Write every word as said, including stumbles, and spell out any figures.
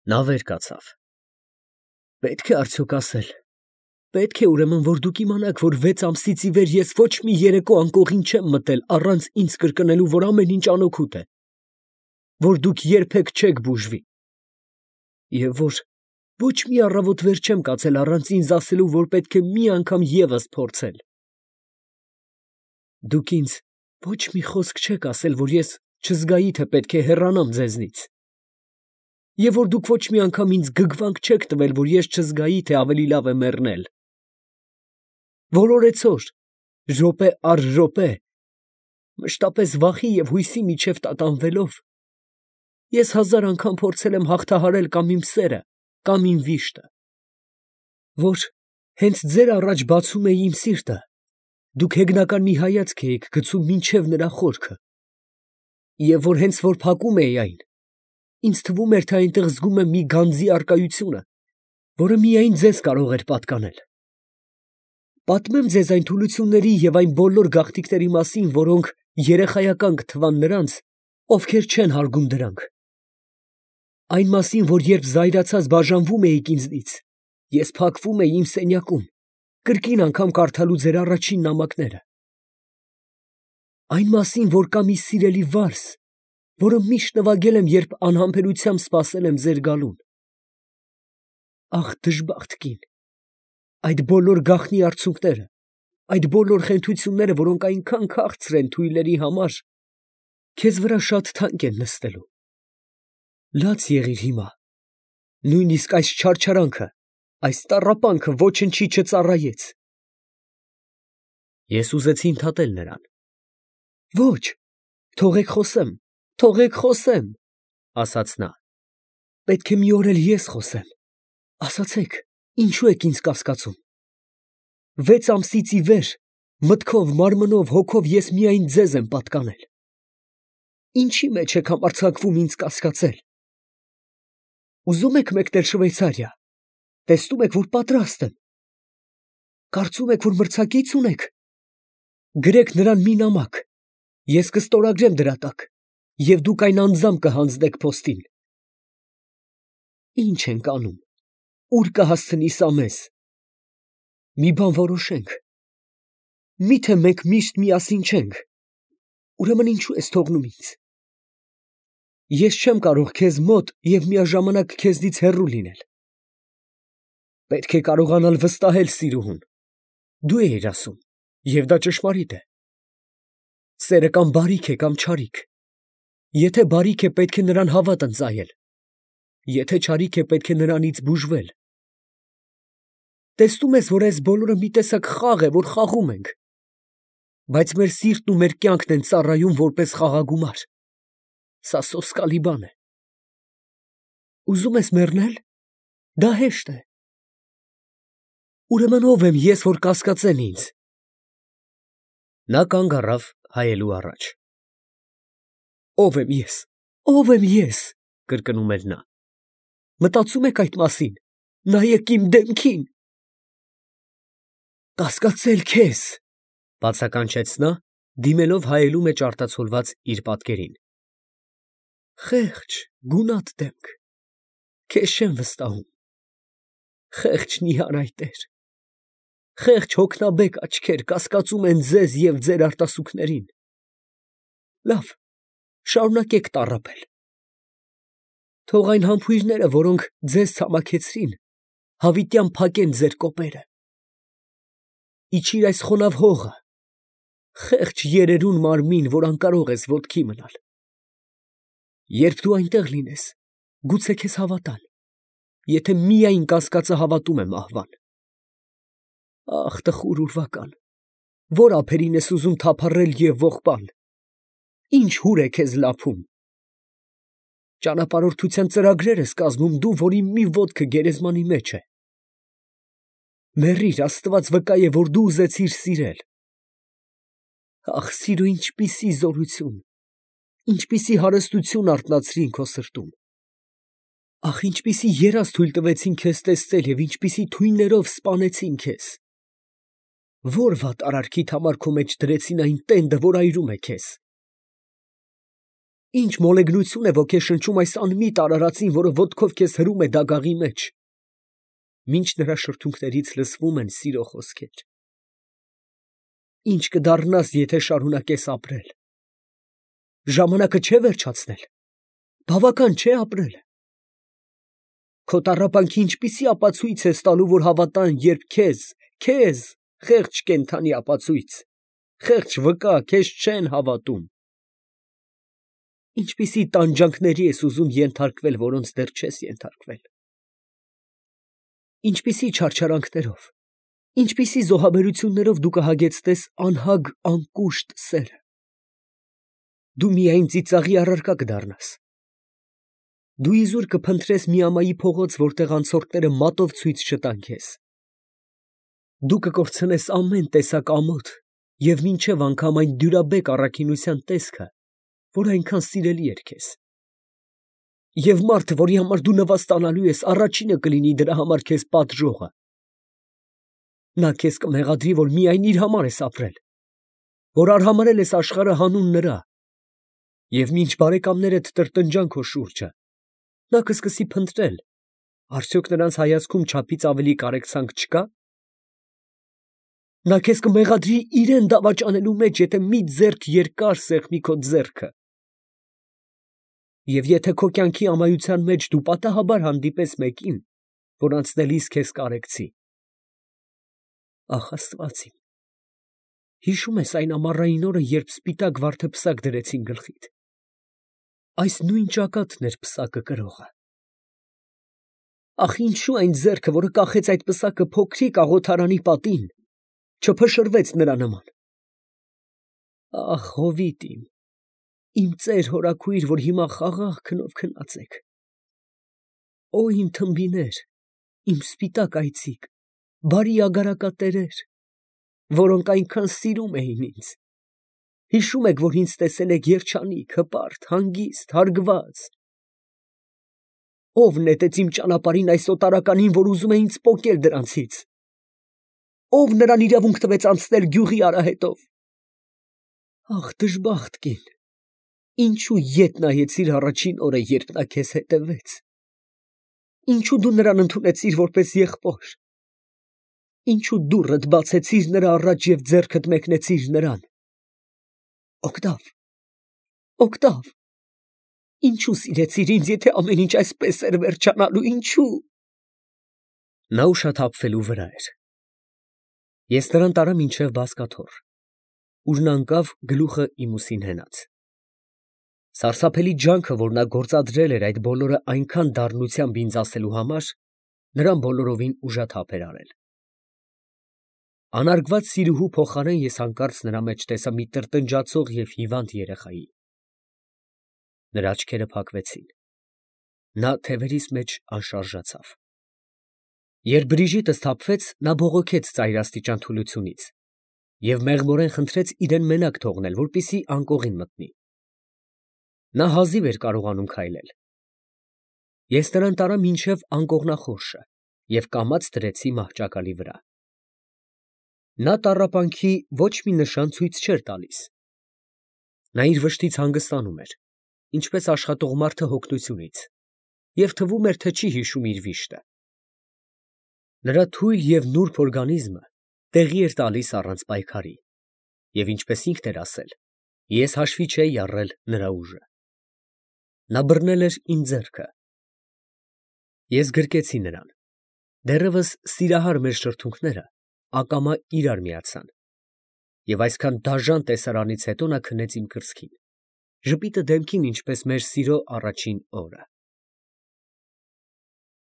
Նա վեր կացավ։ Պետք է արդյոք ասել, պետք է ուրեմն, որ դուք իմանաք, որ վեց ամսից ի վեր ես ոչ մի երեկո անկողին չեմ մտել առանց ինձ կրկնելու, որ ամեն ինչ անօգուտ է, որ դուք երբեք չեք բուժվի, և որ ոչ մի առավոտ վեր չեմ կացել առանց ինձ ասելու, որ պետք է մի անգամ ևս փորձել։ Դուք ինձ ոչ մի խոսք չեք ասել, որ ես չզգայի, թե պետք է հեռանամ ձեզնից, և որ դուք ոչ մի անգամ ինձ գգվանք չեք տվել, որ ես չզգայի, թե ավելի լավ է մեռնել։ Որ օրեցօր, րոպե առ րոպե, մշտապես վախի և հույսի միջև տատանվելով, ես հազար անգամ փորձել եմ հաղթահարել կամ իմ սերը, կամ իմ վիշտը, որ հենց ձեր առաջ բացում էի իմ սիրտը, դուք հեգնական մի հայացք էիք գցում մինչև նրա խորքը, և որ հենց որ փակում էի այն, ինձ թվում էր, թե այնտեղ զգում եմ մի գանձի առկայությունը, որը միայն ձեզ կարող էր պատկանել։ Պատմեմ ձեզ այն թուլությունների և այն բոլոր գաղտնիքների մասին, որոնք երեխայական կթվան նրանց, ովքեր չեն հարգում դրանք։ Այն մասին, որ երբ զայրացած բաժանվում էիք ինձնից, ես փակվում էի իմ սենյակում, կրկին անգամ կարդալու ձեր առաջին նամակները։ Այն մասին, որ կա մի սիրելի վարս, որը միշտ նվագել եմ, երբ անհամբերությամբ սպասել եմ ձեր գալուն։ Ախ, դժբախտ կին, այդ բոլոր գաղտնի արցունքները, այդ բոլոր խենթությունները, որոնք այնքան քաղցր են թույլերի համար, քեզ վրա շատ թանկ են նստելու։ Լաց եղիր հիմա, նույնիսկ այս չարչարանքը, այս տառապանքը ոչնչի չծառայեց։ Ես ուզեցի ընդհատել նրան։ Ոչ, թողեք խոսեմ, թողեք խոսեմ, ասաց նա։ Պետք է մի օր էլ ես խոսեմ, ասացեք, ինչու եք ինձ կասկածում։ Վեց ամսից ի վեր, մտքով, մարմնով, հոգով ես միայն ձեզ եմ պատկանել։ Ինչի մեջ եք համարձակվում ինձ կասկածել։ Ուզում եք մեկնել Շվեյցարիա, տեսնում եք, որ պատրաստ եմ։ Կարծում եք, որ մրցակից ունեք։ Գրեք նրան մի նամակ, ես կստորագրեմ դրա տակ, և դուք այն անձամբ կհանձնեք փոստին։ Ինչ ենք անում, ուր կհասցնի սա մեզ։ Մի բան որոշենք։ Միթե մենք միշտ միասին չենք, ուրեմն ինչու ես թողնում ինձ։ Ես չեմ կարող քեզ մոտ և միաժամանակ քեզնից հեռու լինել։ Պետք է կարողանալ վստահել սիրուհուն։ Դու էիր ասում, և դա ճշմարիտ է։ Սերը կամ բարիք է, կամ չարիք։ Եթե բարիք է, պետք է նրան հավատ ընծայել, եթե չարիք է, պետք է նրանից բուժվել։ Տեսնում ես, որ այս բոլորը մի տեսակ խաղ է, որ խաղում ենք, բայց մեր սիրտն ու մեր կյանքն են ծառայում որպես խաղագումար։ Սա սոսկալի բան է։ Ուզում ես մեռնել։ Դա հեշտ է։ Ուրեմն ո՞վ եմ ես, որ կասկածեն ինձ։ Նա կանգ առավ հայելու առաջ։ Ո՞վ եմ ես, ո՞վ եմ ես, կրկնում էր նա։ Մտածում եք այդ մասին, նայեք իմ դեմքին։ Կասկածել քեզ, բացականչեց նա, դիմելով հայելու մեջ արտացոլված իր պատկերին։ Խեղճ, գունատ դեմք, քեզ չեմ վստահում։ Խեղճ նիհար այտեր, խեղճ հոգնաբեկ աչքեր կասկածում են ձեզ և ձեր արտասուքներին։ Լավ, շարունակեք տառապել։ Թող այն համբույրները, որոնք ձեզ ցամաքեցրին, հավիտյան փակեն ձեր կոպերը։ Իջիր այս խոնավ հողը, խեղճ երերուն մարմին, որ անկարող ես ոտքի մնալ։ Երբ դու այնտեղ լինես, գուցե քեզ հավատան, եթե միայն կասկածը հավատում է մահվան։ Ախ, տխուր ուրվական, որ ափերին ես ուզում թափառել և ողբալ, ինչ հուր է քեզ լափում։ Ճանապարհորդության ծրագրեր ես կազմում դու, որի մի ոտքը գերեզմանի մեջ է։ Մեռիր, Աստված վկա է, որ դու ուզեցիր սիրել։ Ախ, սիրո ինչպիսի զորություն, ինչպիսի հարստություն արթնացրին քո սրտում։ Ախ, ինչպիսի երազ թույլ տվեցին քեզ տեսնել և ինչպիսի թույներով սպանեցին քեզ։ Ո՞ր վատ արարքիդ համար քո մեջ դրեցին այն տենդը, որ այրում է քեզ։ Ինչ մոլեգնություն է ոգեշնչում այս անմիտ արարածին, որը ոտքով քեզ հրում է դագաղի մեջ, մինչ նրա շրթունքներից լսվում են սիրո խոսքեր։ Ինչ կդառնաս, եթե շարունակես ապրել։ Ժամանակը չէ վերջացնել, բավական չէ ապրել։ Քո տառապանքի ինչպիսի ապացույց ես տալու, որ հավատան, երբ քեզ, քեզ, խեղճ կենդանի ապացույց, խեղճ վկա, քեզ չեն հավատում։ Ինչպիսի տանջանքների ես ուզում ենթարկվել, որոնց դեռ չես ենթարկվել։ Ինչպիսի չարչարանքներով, ինչպիսի զոհաբերություններով դու կհագեցնես անհագ անկուշտ սերը։ Դու միայն ծիծաղի առարկա կդառնաս։ Դու իզուր կփնտրես մի ամայի փողոց, որտեղ անցորդները մատով ցույց չտան քեզ։ Դու կկորցնես ամեն տեսակ ամոթ և մինչև անգամ այն դյուրաբեկ առաքինության տեսքը, որ այնքան սիրելի էր քեզ։ Եվ մարդը, որի համար դու նվաստանալու ես, առաջինը կլինի դրա համար քեզ պատժողը։ Նա քեզ կմեղադրի, որ միայն իր համար ես ապրել, որ արհամարհել ես աշխարհը հանուն նրա, և մինչ բարեկամներդ տրտնջան քո շուրջը, նա կսկսի փնտրել, արդյոք նրանց հայացքում չափից ավելի կարեկցանք չկա։ Նա քեզ կմեղադրի իրան դավաճանելու մեջ, եթե մի ձեռք երկար սեղմի քո ձեռքը։ Եվ եթե քո կյանքի ամայության մեջ դու պատահաբար հանդիպես մեկին, որ անցնելիս քեզ կարեկցի, ախ, Աստված իմ, հիշո՞ւմ ես այն ամառային օրը, երբ սպիտակ վարդը պսակ դրեցին գլխիդ։ Այս նույն ճակատն էր պսակը կրողը։ Ախ, ինչու այն ձեռքը, որը կախեց այդ պսակը փոքրիկ աղոթարանի պատին, չփշրվեց նրա նման։ Ախ, հովիտ իմ, իմ ծեր հորաքույր, որ հիմա խաղաղ քնով քնած եք։ Օ, իմ թմբիներ, իմ սպիտակ այծիկ, բարի ագարակատերեր, որոնք այնքան սիրում էին ինձ։ Հիշում եք, որ ինձ տեսել եք երջանիկ, հպարտ, հանգիստ, հարգված։ Ո՞վ նետեց իմ ճանապարհին այս օտարականին, որ ուզում է ինձ պոկել դրանցից։ Ո՞վ նրան իրավունք տվեց անցնել գյուղի արահետով։ Ախ, դժբախտ կին, ինչու ետ նայեցիր առաջին օրը, երբ նա քեզ հետևեց։ Ինչու դու նրան ընդունեցիր որպես եղբոր։ Ինչու դուռդ բացեցիր նրա առաջ և ձեռքդ մեկնեցիր նրան։ Օգտավ, օգտավ, ինչու սիրեցիր ինձ, եթե ամեն ինչ այսպես էր վերջանալու, ինչու։ Նա ուշաթափվելու վրա էր։ Ես նրան տարա մինչև բազկաթոռ, ուր նա ընկավ գլուխը իմ ուսին հենած։ Սարսափելի ջանքը, որ նա գործադրել էր այդ բոլորը այնքան դառնությամբ ինձ ասելու համար, նրան բոլորովին ուժաթափ էր արել։ Անարգված սիրուհու փոխարեն ես հանկարծ նրա մեջ տեսա մի տրտնջացող և հիվանդ երեխայի։ Նրա աչքերը փակվեցին։ Նա թևերիս մեջ անշարժացավ։ Երբ Բրիժիտը սթափվեց, նա բողոքեց ծայրաստիճան թուլությունից և մեղմորեն խնդրեց իրեն մենակ թողնել, որպեսզի անկողին մտնի։ Նա հազիվ էր կարողանում քայլել։ Ես նրան տարա մինչև անկողնախորշը և կամաց դրեցի մահճակալի վրա։ Նա տառապանքի ոչ մի նշան ցույց չէր տալիս։ Նա իր վշտից հանգստանում էր, ինչպես աշխատող մարդը հոգնությունից, և թվում էր, թե չի հիշում իր վիշտը։ Նրա թույլ և նուրբ օրգանիզմը տեղի էր տալիս առանց պայքարի, և ինչպես ինքն էր ասել, ես հաշվի չէի առել նրա ուժը։ Նա բռնել էր իմ ձեռքը։ Ես գրկեցի նրան։ Դեռևս սիրահար մեր շրթունքները ակամա իրար միացան, և այսքան դաժան տեսարանից հետո նա քնեց իմ կրծքին, ժպիտը դեմքին, ինչպես մեր սիրո առաջին օրը։